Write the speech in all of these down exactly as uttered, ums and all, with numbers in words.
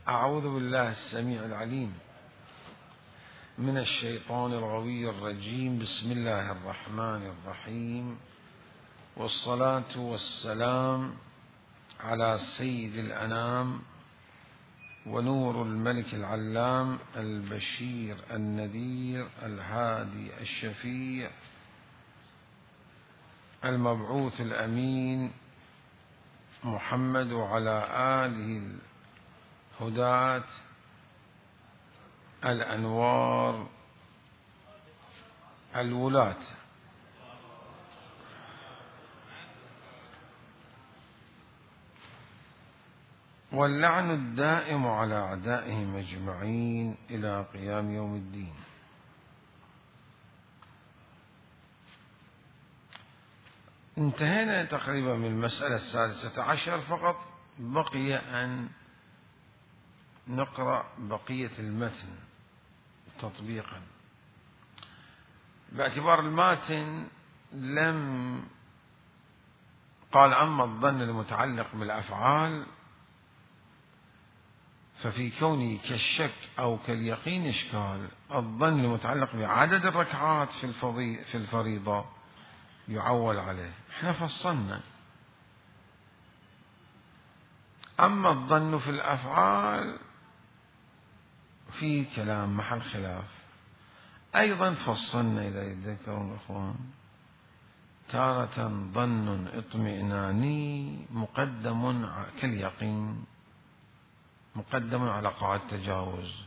أعوذ بالله السميع العليم من الشيطان الغوي الرجيم. بسم الله الرحمن الرحيم، والصلاة والسلام على سيد الأنام ونور الملك العلام البشير النذير الهادي الشفيع المبعوث الأمين محمد، وعلى آله الهداة الأنوار الولاة. واللعن الدائم على أعدائهم أجمعين إلى قيام يوم الدين. انتهينا تقريبا من المسألة السادسة عشر، فقط بقي أن نقرأ بقية المتن تطبيقا، باعتبار الماتن لم قال أما الظن المتعلق بالأفعال ففي كونه كالشك أو كاليقين إشكال. الظن المتعلق بعدد الركعات في في الفريضة يعول عليه، احنا فصلنا. أما الظن في الأفعال في كلام محل خلاف. أيضا فصلنا إذا يتذكرون الأخوان تارة ظن اطمئناني مقدم كاليقين مقدم على قاعدة التجاوز،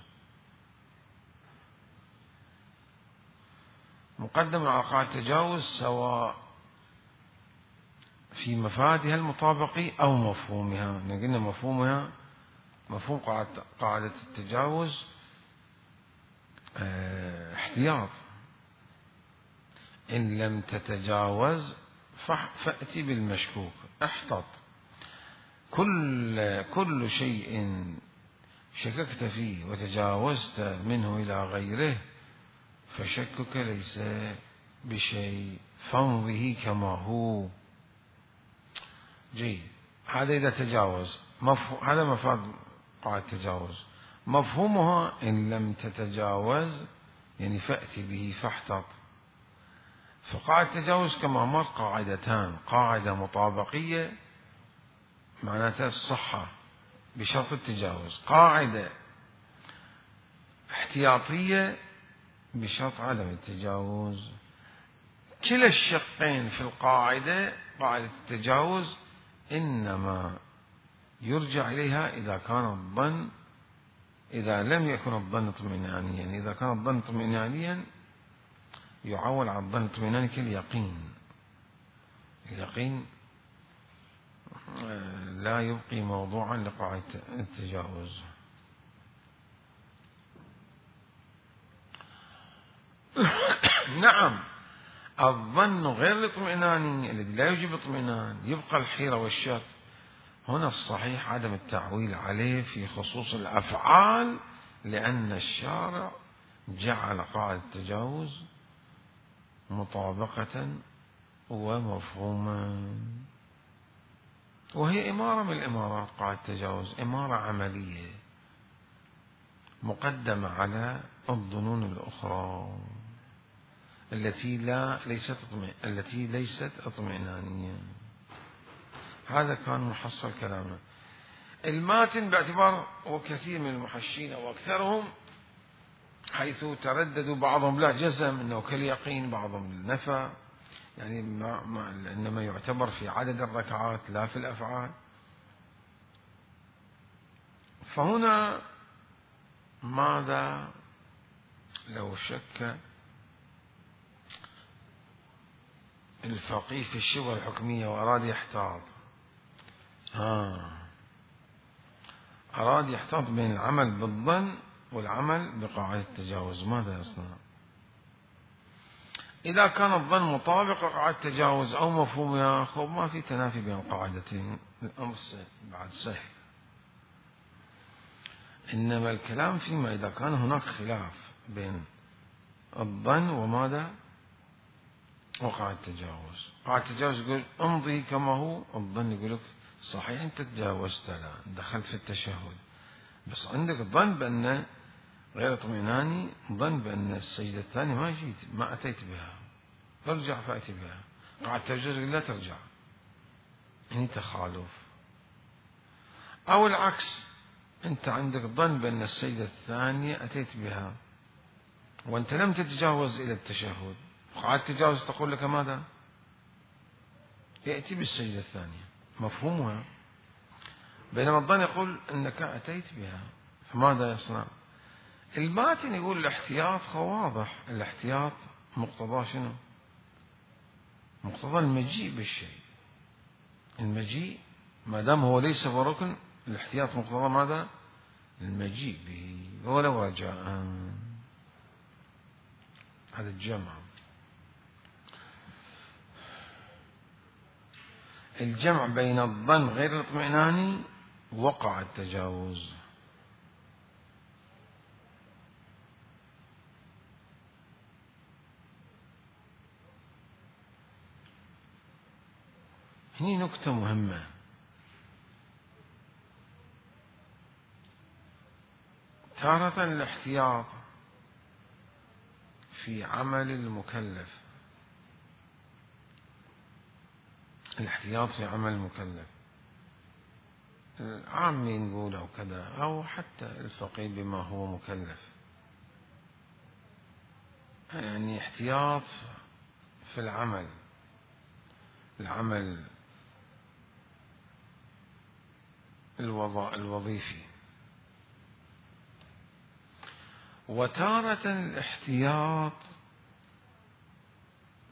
مقدم على قاعدة التجاوز سواء في مفادها المطابقي أو مفهومها. قلنا مفهومها مفهوم قاعدة التجاوز اه احتياط، إن لم تتجاوز فأتي بالمشكوك، احتط. كل كل شيء شككت فيه وتجاوزت منه إلى غيره فشكك ليس بشيء، فامضه كما هو. جيد، هذا إذا تجاوز. هذا مفاد قاعدة التجاوز. مفهومها إن لم تتجاوز يعني فأتي به فاحتط. فقاعدة التجاوز كما مر قاعدتان: قاعدة مطابقية معناتها الصحة بشرط التجاوز، قاعدة احتياطية بشرط عدم التجاوز. كلا الشقين في القاعدة قاعدة التجاوز إنما يرجع إليها إذا كان الظن إذا لم يكن الظن اطمئنانيا. يعني إذا كان الظن اطمئنانيا يعول على الظن اطمئناني كاليقين. اليقين لا يبقي موضوعا لقاعدة التجاوز. نعم، الظن غير الاطمئناني الذي لا يوجب اطمئنان يبقى الحيرة والشك. هنا الصحيح عدم التعويل عليه في خصوص الأفعال، لأن الشارع جعل قاعدة التجاوز مطابقة ومفهوما، وهي إمارة من الإمارات. قاعدة التجاوز إمارة عملية مقدمة على الظنون الأخرى التي لا ليست التي ليست اطمئنانية. هذا كان محصل كلامنا. الماتن باعتبار وكثير من المحشين أو أكثرهم حيث ترددوا، بعضهم لا جزم أنه كاليقين، بعضهم نفى، يعني ما ما إنما يعتبر في عدد الركعات لا في الأفعال. فهنا ماذا لو شك الفقيه في الشبهة الحكمية وأراد يحتاط؟ ها أراد يحتاط بين العمل بالظن والعمل بقاعدة التجاوز، ماذا يصنع؟ إذا كان الظن مطابق قاعدة التجاوز أو مفهومها، خب ما في تنافي بين القاعدتين، الأمر بعد سهل. إنما الكلام فيما إذا كان هناك خلاف بين الظن وماذا وقاعدة التجاوز. قاعدة التجاوز يقول امضي كما هو، الظن يقول لك صحيح أنت تجاوزت، لا دخلت في التشهد، بس عندك ظن بأن غير اطمئناني، ظن بأن السجدة الثانية ما جيت ما أتيت بها، ارجع فأتي بها، قاعد تجوز لا ترجع، هني تخالف. أو العكس، أنت عندك ظن بأن السجدة الثانية أتيت بها وأنت لم تتجاوز إلى التشهد، قاعد تتجاوز تقول لك ماذا؟ يأتي بالسجدة الثانية، مفهومها. بينما الظن يقول أنك أتيت بها، فماذا يصنع؟ الماتن يقول الاحتياط واضح، الاحتياط مقتضاه شنو؟ مقتضى المجيء بالشيء، المجيء ما دام هو ليس بركن، الاحتياط مقتضى ماذا؟ المجيء به ولو رجاء. هذا الجمع، الجمع بين الظن غير الاطمئناني وقع التجاوز. هني نكتة مهمة، تارة الاحتياط في عمل المكلف، الاحتياط في عمل المكلف، العامي نقول أو كذا، أو حتى الفقيه بما هو مكلف، يعني احتياط في العمل، العمل الوظيفي. وتارة الاحتياط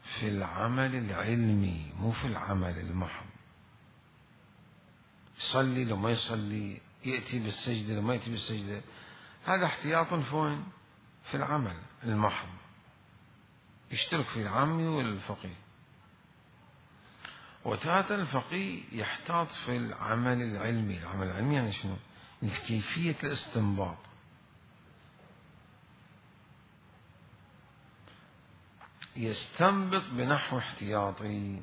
في العمل العلمي، مو في العمل المحض، يصلي لو ما يصلي، يأتي بالسجدة لو ما يأتي بالسجدة، هذا احتياط فين؟ في العمل المحض، يشترك في العامي والفقيه. وتارة الفقيه يحتاط في العمل العلمي، العمل العلمي يعني شنو؟ كيفية الاستنباط، يستنبط بنحو احتياطي.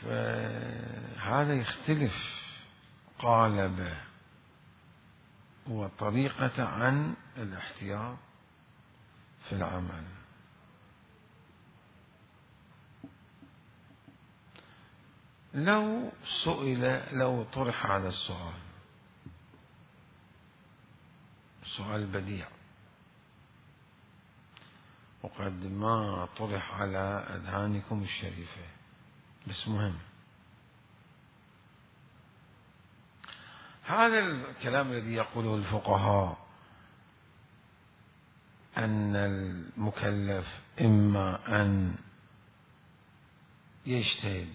فهذا يختلف قالبه وطريقة عن الاحتياط في العمل. لو سئل، لو طرح هذا السؤال، سؤال بديع وقد ما طرح على أذهانكم الشريفة بس مهم، هذا الكلام الذي يقوله الفقهاء أن المكلف إما أن يجتهد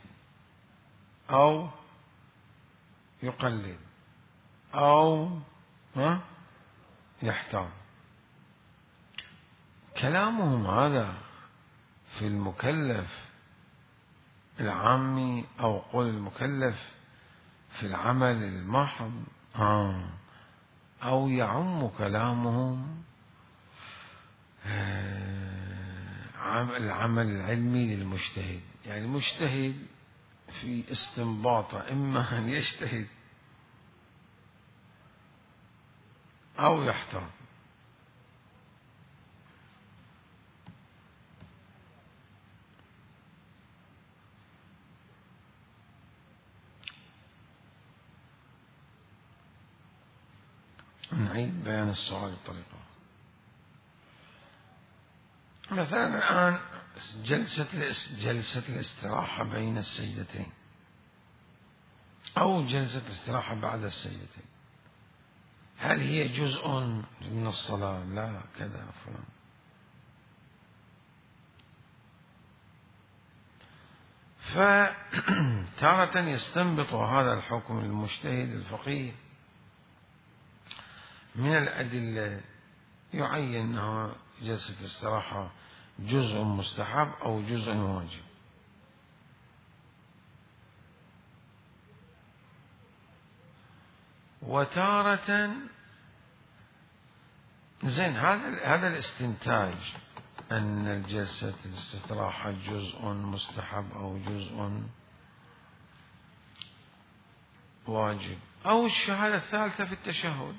أو يقلد أو يحتاط، كلامهم هذا في المكلف العامي أو قول المكلف في العمل المحض، آه أو يعم كلامهم العمل العلمي للمجتهد، يعني المجتهد في استنباطه إما أن يجتهد أو يحتاط. نعيد بيان السؤال بطريقة، مثلا الآن جلسة جلسة الاستراحة بين السجدتين أو جلسة الاستراحة بعد السجدتين، هل هي جزء من الصلاة؟ لا كذا فلان. فتارة يستنبط هذا الحكم المجتهد الفقيه من الأدلة، يعين أنها جلسة الاستراحة جزء مستحب أو جزء واجب. وتارة زين هذا هذا الاستنتاج أن الجلسة الاستراحة جزء مستحب أو جزء واجب، أو الشهادة الثالثة في التشهد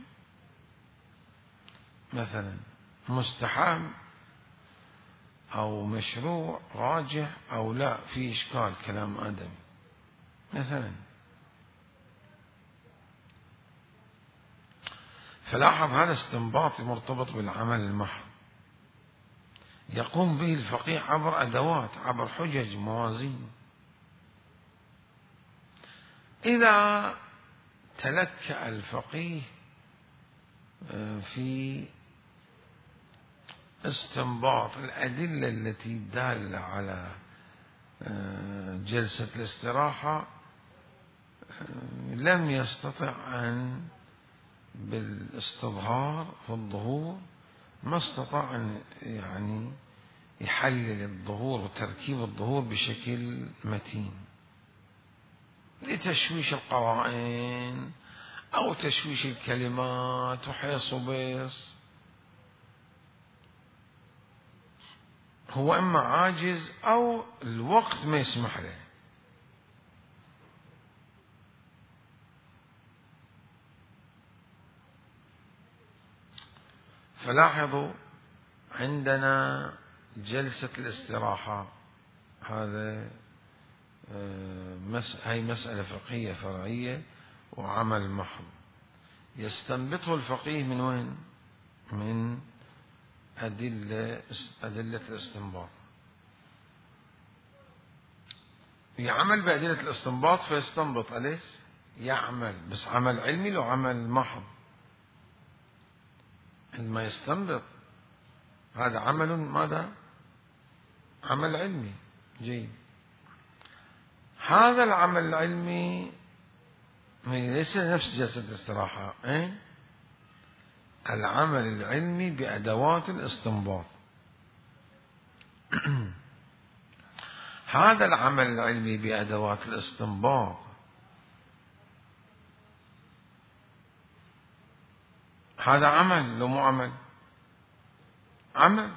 مثلا مستحب أو مشروع راجح أو لا، في إشكال كلام آدمي مثلا. فلاحظ هذا استنباط مرتبط بالعمل المحض، يقوم به الفقيه عبر أدوات، عبر حجج، موازين. إذا تلكأ الفقيه في استنباط الأدلة التي دالة على جلسة الاستراحة، لم يستطع أن بالاستظهار في الظهور، ما استطاع أن يعني يحلل الظهور وتركيب الظهور بشكل متين، لتشويش القرائن أو تشويش الكلمات وحيص وبيص. هو إما عاجز أو الوقت ما يسمح له. فلاحظوا عندنا جلسة الاستراحة، هذا هي مسألة فقهية فرعية وعمل محض، يستنبطه الفقيه من وين؟ من أدلة أدلة الاستنباط. يعمل بأدلة الاستنباط فيستنبط، أليس؟ يعمل، بس عمل علمي لو عمل محض. عندما يستنبط هذا عمل ماذا؟ عمل علمي جيد. هذا العمل العلمي ليس نفس جلسة الاستراحة، إيه؟ العمل العلمي بأدوات الاستنباط. هذا العمل العلمي بأدوات الاستنباط هذا عمل لو مو عمل؟ عمل،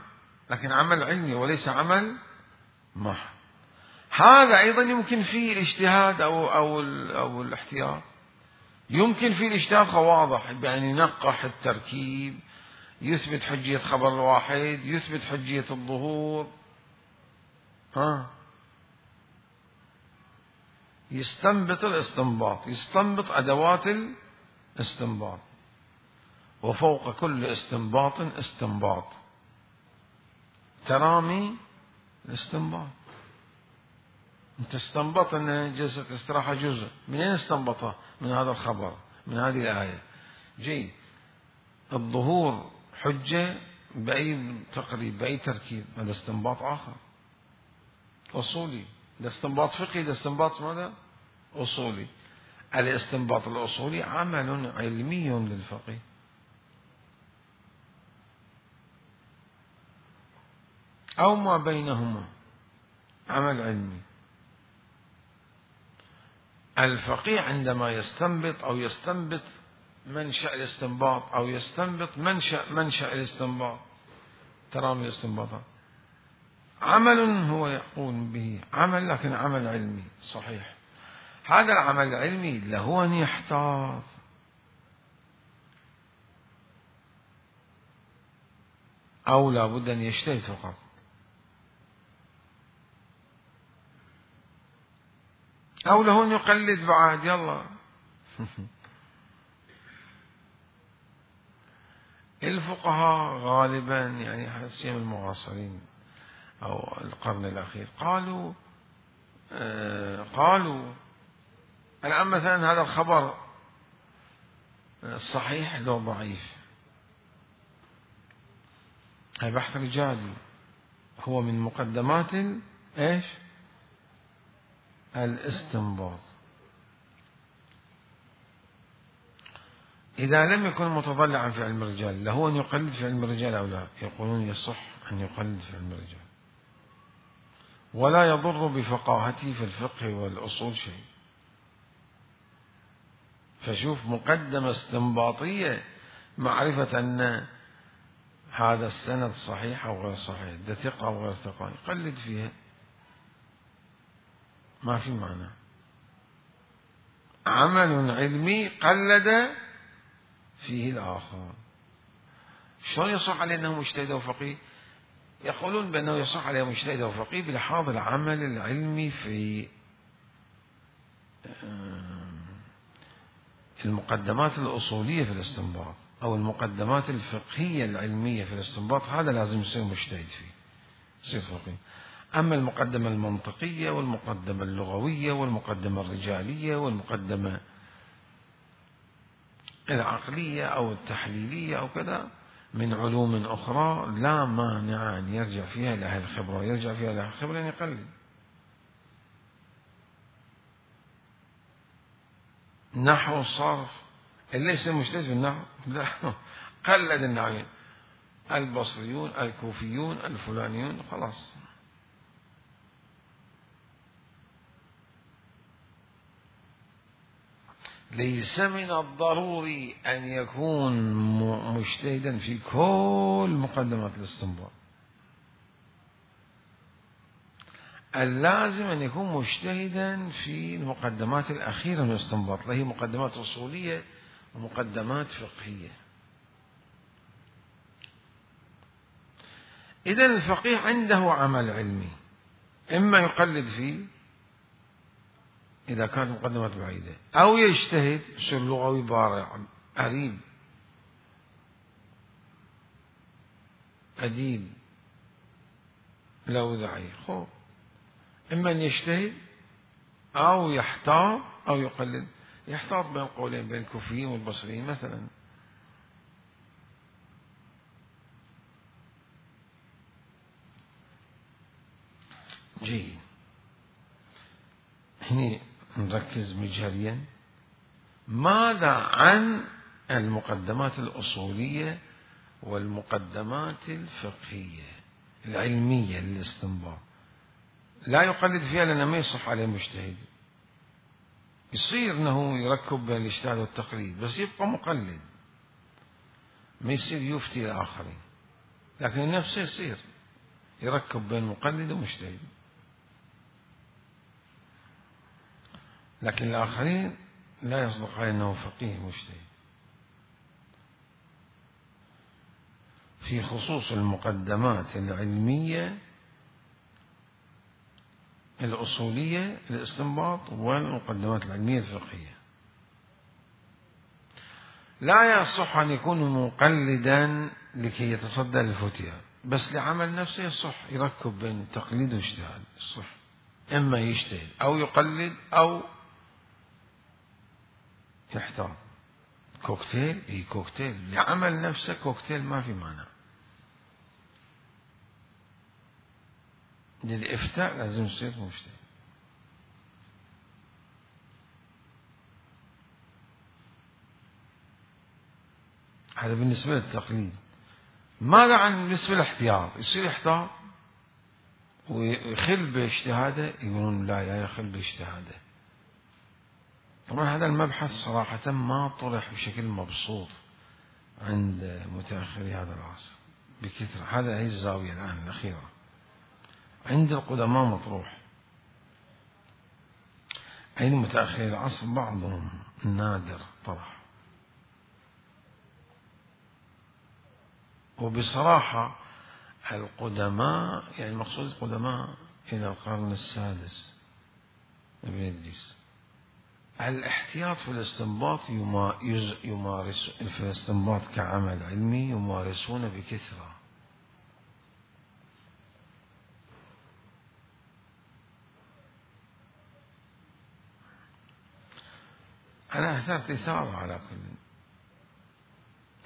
لكن عمل علمي وليس عمل محض. هذا أيضا يمكن فيه الاجتهاد أو أو أو الاحتياط، يمكن فيه الاجتهاد واضح، بأن ينقح التركيب، يثبت حجية خبر الواحد، يثبت حجية الظهور، ها يستنبط الاستنباط، يستنبط أدوات الاستنباط، وفوق كل استنباط استنباط، ترامي الاستنباط. انت استنبط ان جلسة الاستراحة جزء، من اين استنبطه؟ من هذا الخبر، من هذه الآية. جيد، الظهور حجة بأي تقريب، بأي تركيب، هذا استنباط آخر أصولي، ده استنباط فقهي، ده استنباط ماذا؟ أصولي. الاستنباط الأصولي عمل علمي للفقيه. أو ما بينهما عمل علمي. الفقيه عندما يستنبط أو يستنبط منشأ الاستنباط أو يستنبط منشأ منشأ الاستنباط، ترامي الاستنباطات، عمل هو يقوم به، عمل لكن عمل علمي صحيح. هذا العمل العلمي له أن يحتاط أو لا بد أن يجتهد فقط؟ أو له أن يقلد بعد، يلا. الفقهاء غالبا يعني سيما المعاصرين أو القرن الأخير قالوا آه قالوا الآن مثلا هذا الخبر صحيح لو ضعيف، هذا بحث رجالي، هو من مقدمات ايش؟ الاستنباط. إذا لم يكن متضلعا في علم الرجال، له أن يقلد في علم الرجال أو لا؟ يقولون يصح أن يقلد في علم الرجال، ولا يضر بفقاهته في الفقه والأصول شيء. فشوف مقدمة استنباطية، معرفة أن هذا السند صحيح أو غير صحيح، ده ثقة أو غير ثقة، يقلد فيها، ما في معنى. عمل علمي قلد فيه الآخر. شلون يصح عليه أنه مجتهد وفقيه؟ يقولون بأنه يصح عليه مجتهد وفقيه بلحاظ العمل العلمي في المقدمات الأصولية في الاستنباط أو المقدمات الفقهية العلمية في الاستنباط، هذا لازم يصير مجتهد فيه، يصير فقيه. أما المقدمة المنطقية والمقدمة اللغوية والمقدمة الرجالية والمقدمة العقلية أو التحليلية أو كذا من علوم أخرى لا مانع أن يرجع فيها إلى أهل الخبرة، يرجع فيها إلى أهل الخبرة أن يقلد. نحو الصرف اللي ليس مجتهد في النحو لا قلد النحويين البصريون الكوفيون الفلانيون خلاص. ليس من الضروري أن يكون مجتهدا في كل مقدمات الاستنباط، اللازم أن يكون مجتهدا في المقدمات الأخيرة من الاستنباط، اللي هي مقدمات أصولية ومقدمات فقهية. إذن الفقيه عنده عمل علمي، إما يقلد فيه إذا كانت مقدمات بعيدة، أو يجتهد يصير لغوي بارع عريب أديب لوذعي. خب إما أن يجتهد أو يحتاط أو يقلد، يحتاط بين قولين بين الكوفيين والبصريين مثلا. جيد، هنا نركز مجهريا. ماذا عن المقدمات الأصولية والمقدمات الفقهية العلمية للاستنباط؟ لا يقلد فيها لأنه ما يصح عليه مجتهد، يصير أنه يركب بين الاجتهاد والتقليد بس يبقى مقلد، ما يصير يفتي الآخرين، لكن نفسه يصير يركب بين مقلد ومجتهد، لكن الآخرين لا يصدق عليه أنه فقيه مجتهد. في خصوص المقدمات العلمية الأصولية للاستنباط والمقدمات العلمية الفقهية، لا يصح أن يكون مقلدا لكي يتصدى للفتية، بس لعمل نفسه يصح يركب بين التقليد والاجتهاد، يصح إما يجتهد أو يقلد أو يحتاط. كوكتيل، اي كوكتيل لعمل نفسه، كوكتيل ما في مانع. للإفتاء لازم يصير مجتهد. هذا بالنسبة للتقليد. ماذا عن بالنسبة للاحتياط؟ يصير يحتاط ويخل باجتهاده؟ يقولون لا لا يخل باجتهاده. طبعا هذا المبحث صراحة ما طرح بشكل مبسوط عند متأخري هذا العصر بكثرة. هذا هي الزاوية الآن الأخيرة. عند القدماء مطروح، عند متأخري العصر بعضهم نادر طرح. وبصراحة القدماء، يعني المقصود القدماء إلى القرن السادس ابن إدريس، الاحتياط في الاستنباط يمارس في الاستنباط كعمل علمي يمارسون بكثرة. أنا أثرت إثارة على كل،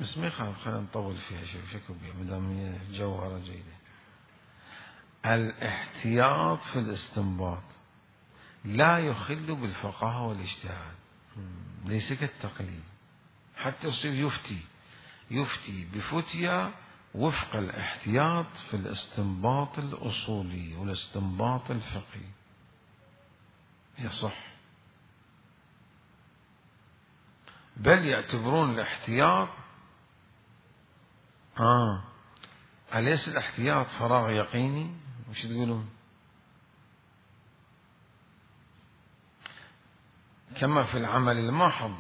بس ما يخالف، خلينا نطول فيها شوي شكو بها مدام هي جوهرة جيدة. الاحتياط في الاستنباط لا يخل بالفقاهة والاجتهاد، ليس كالتقليد. حتى يصير يفتي يفتي بفتية وفق الاحتياط في الاستنباط الأصولي والاستنباط الفقهي يصح، بل يعتبرون الاحتياط آه أليس الاحتياط فراغ يقيني؟ وش تقولون؟ كما في العمل الماحض،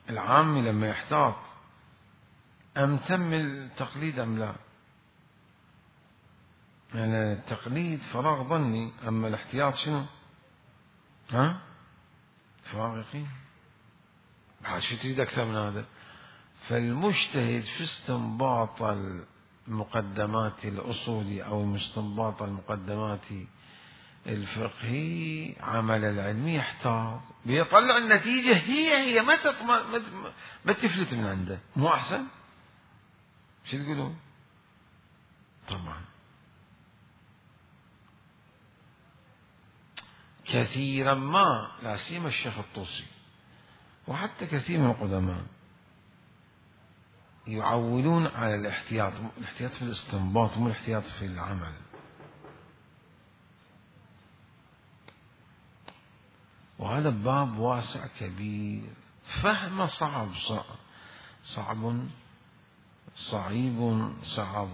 العامي لما يحتاط أم تم التقليد أم لا؟ يعني التقليد فراغ ظني، أما الاحتياط شنو؟ ها؟ فراغ يقين. بعد شو تريد أكثر من هذا؟ فالمجتهد في استنباط المقدمات الأصولي أو مستنباط المقدمات الفقهي عمل العلمي يحتاط بيطلع النتيجة هي هي ما تطمع ما تفلت من عنده، مو أحسن؟ شو تقولون؟ طبعا كثيرا ما، لا سيما الشيخ الطوسي وحتى كثير من القدماء يعولون على الاحتياط، الاحتياط في الاستنباط مو الاحتياط في العمل. وهذا باب واسع كبير، فهمه صعب صعب صعب صعيب صعب.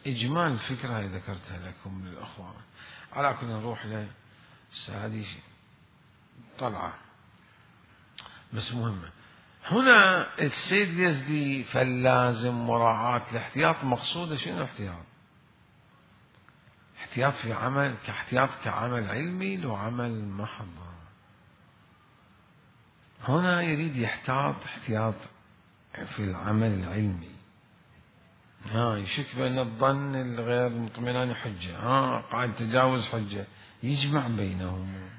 إجمال الفكرة هذه ذكرتها لكم للأخوة. على كل نروح له هذه طلعة بس مهمة. هنا السيد اليزدي فاللازم مراعاة الاحتياط، مقصودة شنو الاحتياط؟ احتياط في عمل كاحتياط كعمل علمي لو عمل محض. هنا يريد يحتاط احتياط في العمل العلمي. ها يشك بأن الظن الغير مطمئنان حجة، ها قاعد تجاوز حجة، يجمع بينهم.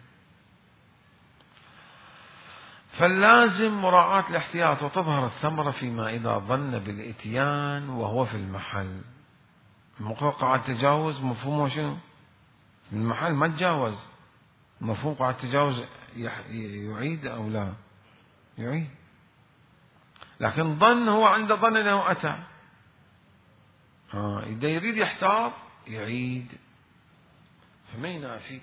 فاللازم مراعاة الاحتياط، وتظهر الثمرة فيما إذا ظن بالإتيان وهو في المحل. مقر قاعد تجاوز مفهومه شنو؟ المحل ما تجاوز، مفهوم قاعد تجاوز يعيد أو لا؟ يعيد. لكن ظن هو عنده ظن أنه أتى، ها إذا يريد يحتاط يعيد، فما ينافي،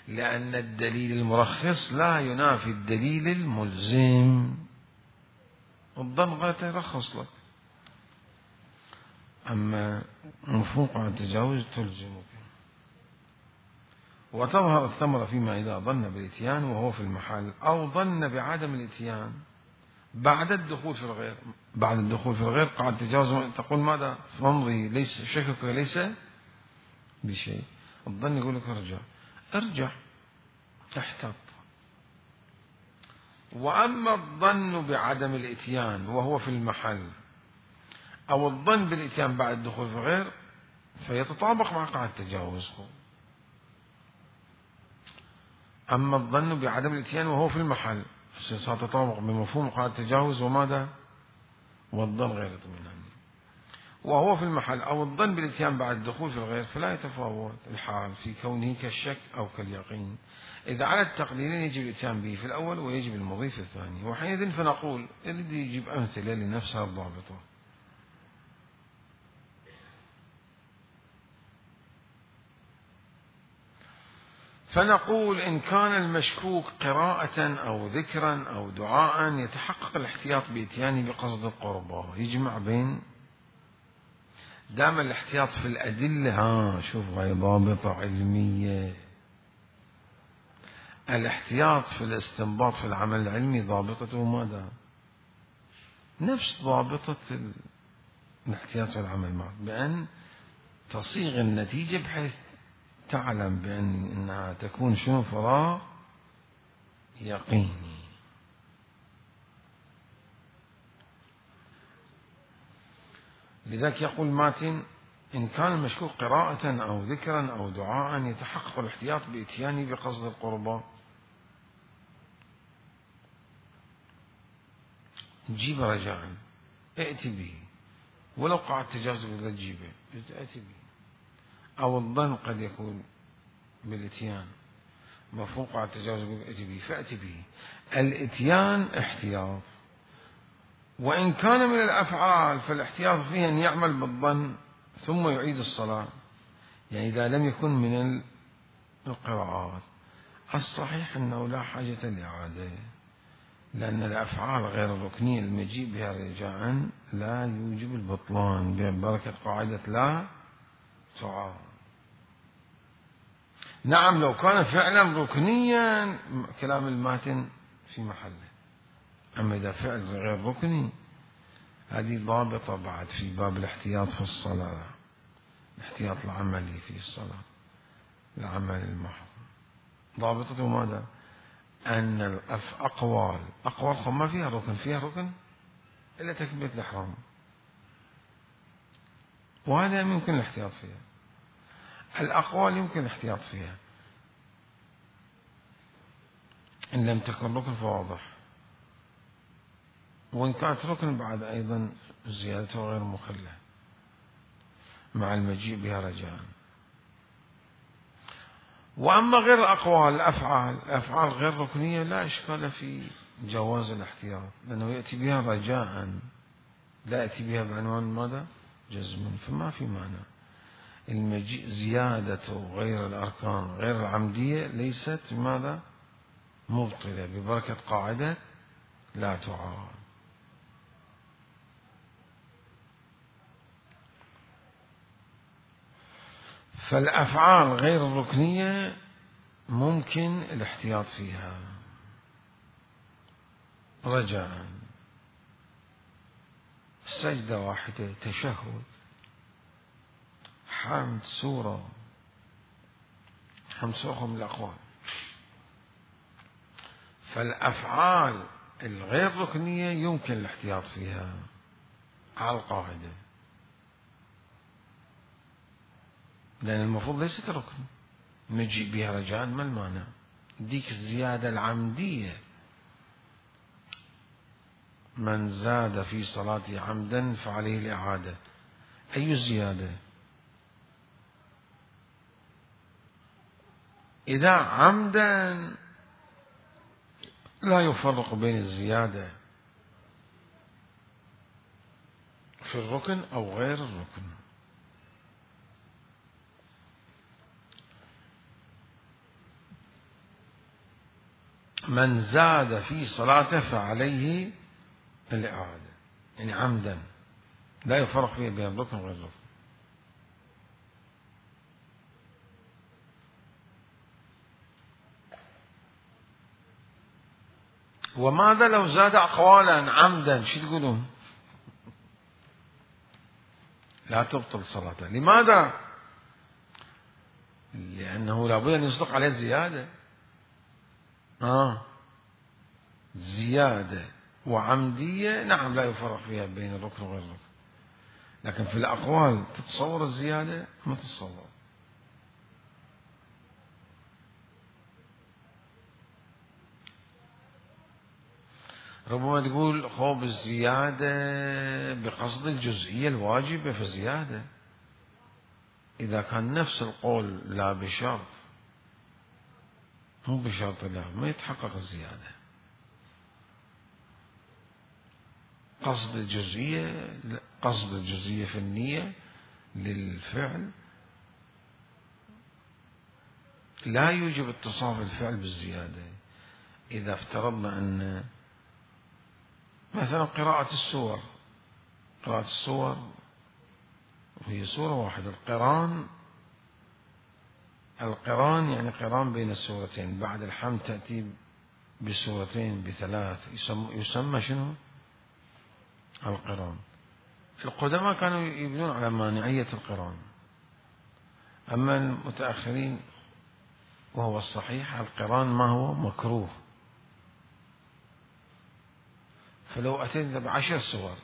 لأن الدليل المرخص لا ينافي الدليل الملزم. الظن غلط يرخص لك، أما مفهوم قاعد تجاوز تلزمك. وتظهر الثمرة فيما إذا ظن بالإتيان وهو في المحل، أو ظن بعدم الإتيان بعد الدخول في الغير. بعد الدخول في الغير قاعد تجاوز، تقول ماذا؟ فامضي، ليس شكك ليس بشيء. الظن يقول لك ارجع، ارجع احتط. وأما الظن بعدم الإتيان وهو في المحل، أو الظن بالإتيان بعد الدخول في الغير، فيتطابق مع قاعدة التجاوز. أما الظن بعدم الإتيان وهو في المحل سيتطابق بمفهوم قاعدة التجاوز وماذا؟ والظن غير اطمئناني. وهو في المحل أو الظن بالإتيان بعد الدخول في الغير، فلا يتفاوت الحال في كونه كالشك أو كاليقين. إذا على التقديرين يجب الإتيان به في الأول ويجب المضي في الثاني. وحينئذ فنقول يريد يجيب أمثلة لنفسها الضابطة. فنقول إن كان المشكوك قراءة أو ذكرا أو دعاء يتحقق الاحتياط بإتيانه بقصد القربة. يجمع بين دام الاحتياط في الأدلة، ها شوف هاي ضابطة علمية. الاحتياط في الاستنباط في العمل العلمي ضابطته ماذا؟ نفس ضابطة الاحتياط في العمل معه، بأن تصيغ النتيجة بحيث تعلم بأن إنها تكون شنو؟ فراغ يقيني. لذلك يقول ماتن إن كان المشكوك قراءة أو ذكرا أو دعاء يتحقق الاحتياط بإتيانه بقصد القربة. جيب رجاء ائت به، ولو قعد تجاوز بدل تجيبه ائت به. أو الظن قد يكون بالإتيان، مفهوم قعد تجاوز ائت به فأت به. الإتيان احتياط. وإن كان من الأفعال فالاحتياط فيه أن يعمل بالظن ثم يعيد الصلاة، يعني إذا لم يكن من القراءات. الصحيح أنه لا حاجة لإعادة، لأن الأفعال غير الركنية المجيء بها رجاء لا يوجب البطلان ببركة قاعدة لا تعارض. نعم لو كان فعلا ركنيا كلام الماتن في محله، أما إذا فعل غير ركني هذه ضابطة بعد في باب الاحتياط في الصلاة، الاحتياط العملي في الصلاة، العمل المحض. ضابطته ماذا؟ أن الأقوال أقوال ما فيها ركن، فيها ركن إلا تكبيرة الإحرام، وهذا يمكن الاحتياط فيها. الأقوال يمكن الاحتياط فيها إن لم تكن ركن فواضح، وإن كانت ركن بعد أيضا زيادته غير مخلة مع المجيء بها رجاء. وأما غير الأقوال الأفعال، الأفعال غير ركنية لا إشكال في جواز الاحتياط، لأنه يأتي بها رجاء لا يأتي بها بعنوان ماذا؟ جزم، فما في معنى. المجيء زيادة غير الأركان غير العمدية ليست ماذا؟ مبطلة، ببركة قاعدة لا تعارض. فالأفعال غير الركنية ممكن الاحتياط فيها رجاء. سجدة واحدة، تشهد، حمد سورة، حمد سورة من الأقوال. فالأفعال الغير ركنية يمكن الاحتياط فيها على القاعدة، لأن المفروض ليست ركن، نجي بها رجاء ما المانع. ديك الزيادة العمدية، من زاد في صلاته عمدا فعليه الإعادة. أي زيادة؟ إذا عمدا لا يفرق بين الزيادة في الركن أو غير الركن. من زاد في صلاته فعليه الإعادة، يعني عمدا لا يفرق فيه بين الركن وغير الركن. وماذا لو زاد أقوالا عمدا؟ شو تقولون؟ لا تبطل صلاته. لماذا؟ لأنه لابد أن يصدق عليه الزيادة. آه زيادة وعمدية نعم لا يفرق فيها بين الركن وغير الركن، لكن في الأقوال تتصور الزيادة ما تتصور. ربما تقول خوب الزيادة بقصد الجزئية الواجبة فزيادة، إذا كان نفس القول لا بشرط مو بشرط لا ما يتحقق الزيادة. قصد الجزئية، قصد الجزئية في النية للفعل لا يوجب اتصاف الفعل بالزيادة. إذا افترضنا أن مثلا قراءة السور، قراءة السور وهي سورة واحدة، القران القران يعني قران بين السورتين، بعد الحمد تأتي بسورتين بثلاث، يسمى, يسمى شنو؟ القران. القدماء كانوا يبنون على مانعية القران، أما المتأخرين وهو الصحيح القران ما هو مكروه. فلو أتيت بعشر سور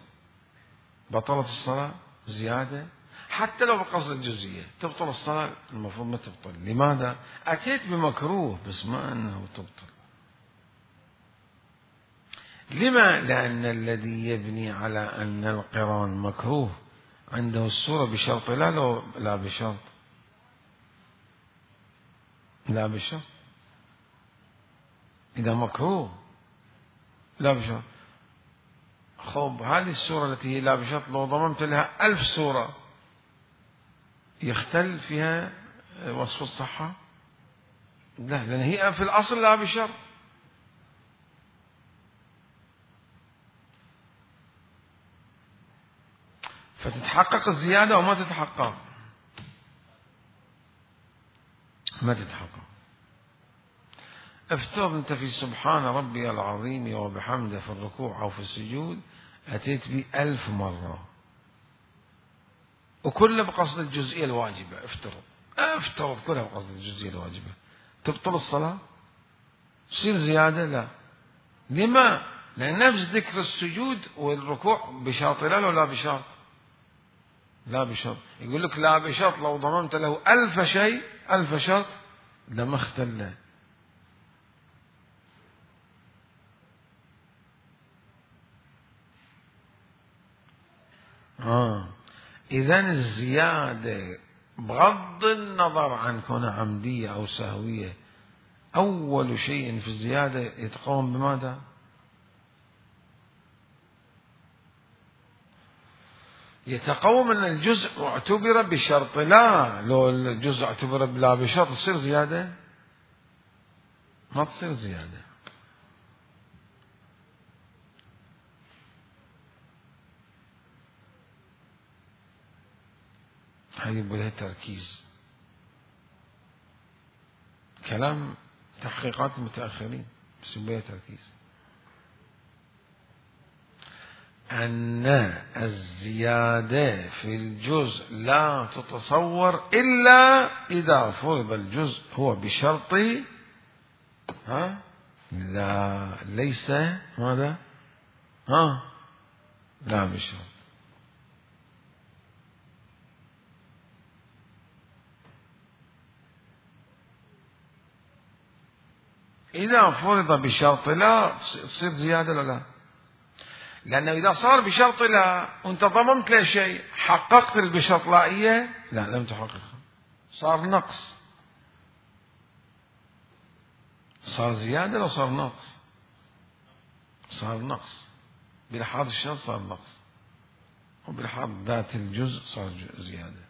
بطلت الصلاة زيادة، حتى لو بقصد الجزئية تبطل الصلاة؟ المفروض ما تبطل. لماذا؟ أتيت بمكروه بس ما أنه تبطل. لما؟ لأن الذي يبني على أن القران مكروه عنده السورة بشرط لا لو لا بشرط لا بشرط إذا مكروه لا بشرط. خب هذه السورة التي هي لا بشرط لو ضممت لها ألف سورة يختل فيها وصف الصحة؟ لا، لأن هي في الأصل لا بشرط. فتتحقق الزيادة وما تتحقق ما تتحقق. افترض أنت في سبحان ربي العظيم وبحمده في الركوع أو في السجود أتيت به ألف مرة وكله بقصد الجزئية الواجبة. افترض افترض كلها بقصد الجزئية الواجبة، تبطل الصلاة؟ تصير زيادة؟ لا. لما؟ لأن نفس ذكر السجود والركوع بشرط لا ولا بشرط؟ لا بشرط. يقول لك لا بشرط لو ضممت له ألف شيء ألف شرط لما اختل. آه. إذن الزيادة بغض النظر عن كونها عمدية أو سهوية، أول شيء في الزيادة يتقوم بماذا؟ يتقوم أن الجزء اعتبر بشرط لا. لو الجزء اعتبر بلا بشرط تصير زيادة؟ ما تصير زيادة. هذه بلها تركيز، كلام تحقيقات المتأخرين بس بلها تركيز. أن الزيادة في الجزء لا تتصور إلا إذا فرض الجزء هو بشرط ها لا ليس ماذا ها لا بشرط. إذا فرض بشرط لا تصير زيادة ولا لا؟ لأنه إذا صار بشرط لا وأنت ضممت له شيء حققت بشرط لائية؟ لا لم تحقق، صار نقص. صار زيادة لو صار نقص؟ صار نقص بلحاظ الشرط، صار نقص، وبلحاظ ذات الجزء صار زيادة.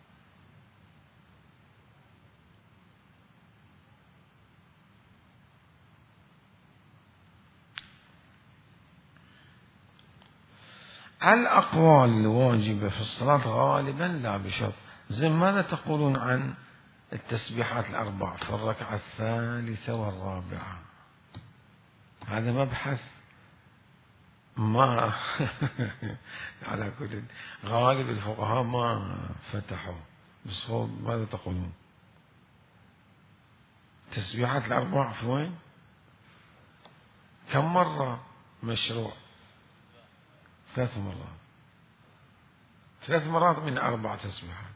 الأقوال الواجبة في الصلاة غالبا لا بشرط. زي ماذا تقولون عن التسبيحات الأربع في الركعة الثالثة والرابعة؟ هذا مبحث ما على كل غالب الفقهاء ما فتحوا بصوت. ماذا تقولون؟ التسبيحات الأربع في وين؟ كم مرة مشروع؟ ثلاث مرات. ثلاث مرات من أربع تسبيحات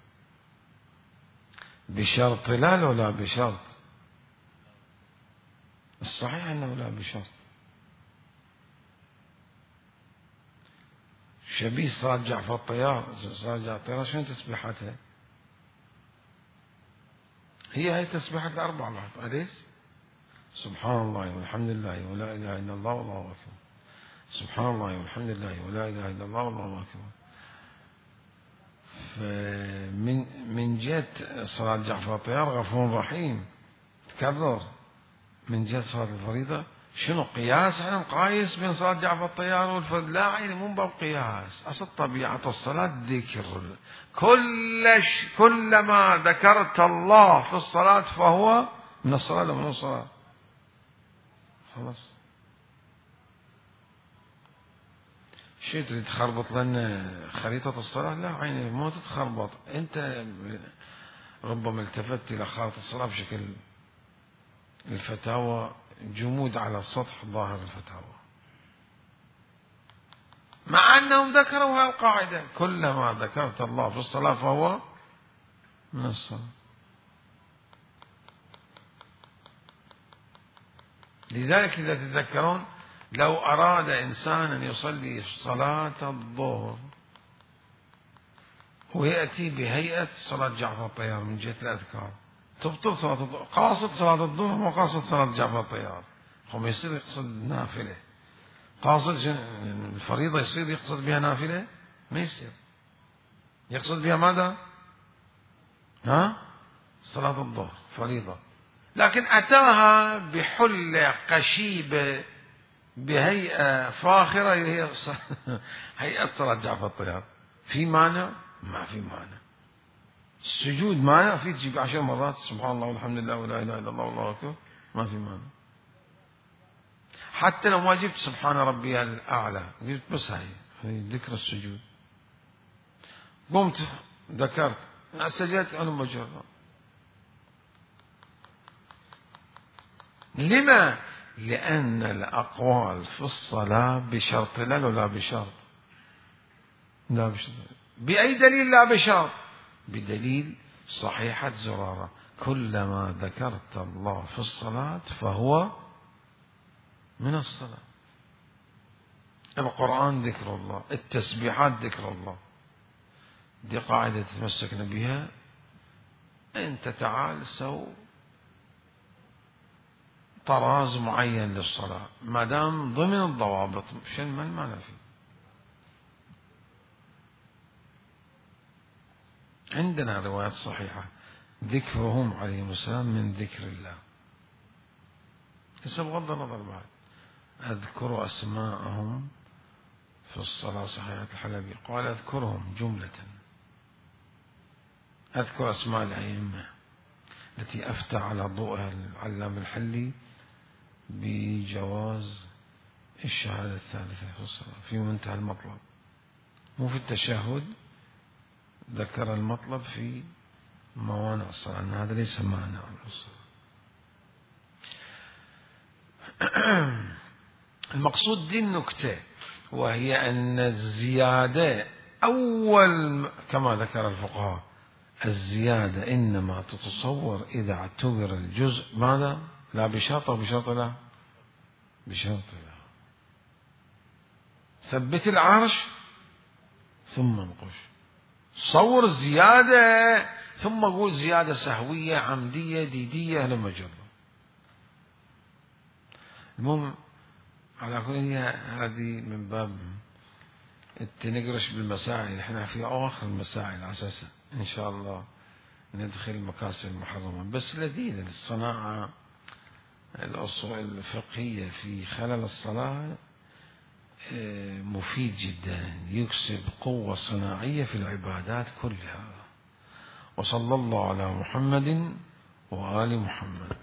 بشرط لا لو لا بشرط؟ الصحيح أنه لا بشرط. شبيه صلاة جعفر الطيار. صلاة جعفر الطيار شنو تسبيحاتها؟ هي هي تسبيحات الأربع بعد. أليس؟ سبحان الله والحمد لله ولا إله إلا الله والله أكبر. سبحان الله والحمد لله ولا إله إلا الله والله أكبر. فمن من جهة صلاة جعفر الطيار غفور رحيم تكرر. من جهة صلاة الفريضة شنو قياس؟ احنا نقايس بين صلاة جعفر الطيار والفرد؟ لا عيني مو باب قياس. أصل طبيعة الصلاة ذكر. كل كلما ذكرت الله في الصلاة فهو من الصلاة ولا من الصلاة؟ خلاص. شو تريد تخربط لنا خريطة الصلاة؟ لا عيني مو تتخربط. أنت ربما التفت إلى خارطة الصلاة بشكل الفتاوى جمود على سطح ظاهر الفتاوى، مع أنهم ذكروا هالقاعدة كلما ذكرت الله في الصلاة فهو من الصلاة. لذلك إذا تتذكرون لو أراد إنسان أن يصلي صلاة الظهر ويأتي بهيئة صلاة جعفر الطيار من جهة الأذكار تبطل صلاة الظهر. قاصد صلاة الظهر مو قاصد صلاة جعفر الطيار. هم يصير يقصد نافلة. قاصد الفريضة يصير يقصد بها نافلة؟ ما يصير. يقصد بها ماذا؟ ها؟ صلاة الظهر فريضة، لكن أتاها بحلة قشيبة بهيئة فاخرة هي هيئة صلاة جعفر الطيار. في مانع؟ ما في مانع. السجود معنى في تجيب عشر مرات سبحان الله والحمد لله ولا إله إلا الله والله أكبر، ما في معنى. حتى لو ما جبت سبحان ربي الأعلى، جبت بس هاي هي ذكر السجود، قمت ذكرت سجدت أنا مجرد. لما؟ لأن الأقوال في الصلاة بشرط لا لا بشرط، لا بشرط. بأي دليل لا بشرط؟ بدليل صحيحة زرارة: كلما ذكرت الله في الصلاة فهو من الصلاة. القرآن ذكر الله، التسبيحات ذكر الله. دي قاعدة تتمسكنا بها. أنت تعال سو طراز معين للصلاة ما دام ضمن الضوابط، شن ما المعنى فيه؟ عندنا روايات صحيحة ذكرهم عليهم السلام من ذكر الله. هسه بغض النظر بعد أذكر أسماءهم في الصلاة. صحيحة الحلبي قال أذكرهم جملة، أذكر أسماء الأئمة التي أفتى على ضوءها العلام الحلي بجواز الشهادة الثالثة في الصلاة في منتهى المطلب، مو في التشهد، ذكر المطلب في موانع الصلاة، أن هذا ليس مانع الصلاة. المقصود دي النكتة، وهي أن الزيادة أول كما ذكر الفقهاء الزيادة إنما تتصور إذا اعتبر الجزء ماذا؟ لا بشرط، بشرط لا بشرط لا. ثبت العرش ثم انقش، صور الزيادة ثم قول زيادة سهوية عمدية ديدية لما جرب. المهم على كل هي هذه من باب التنقرش بالمسائل. احنا في اواخر المسائل على اساس ان شاء الله ندخل المكاسب المحرمة، بس لذيذة الصناعة الأصول الفقهية في خلال الصلاة مفيد جدا، يكسب قوة صناعية في العبادات كلها. وصلى الله على محمد وآل محمد.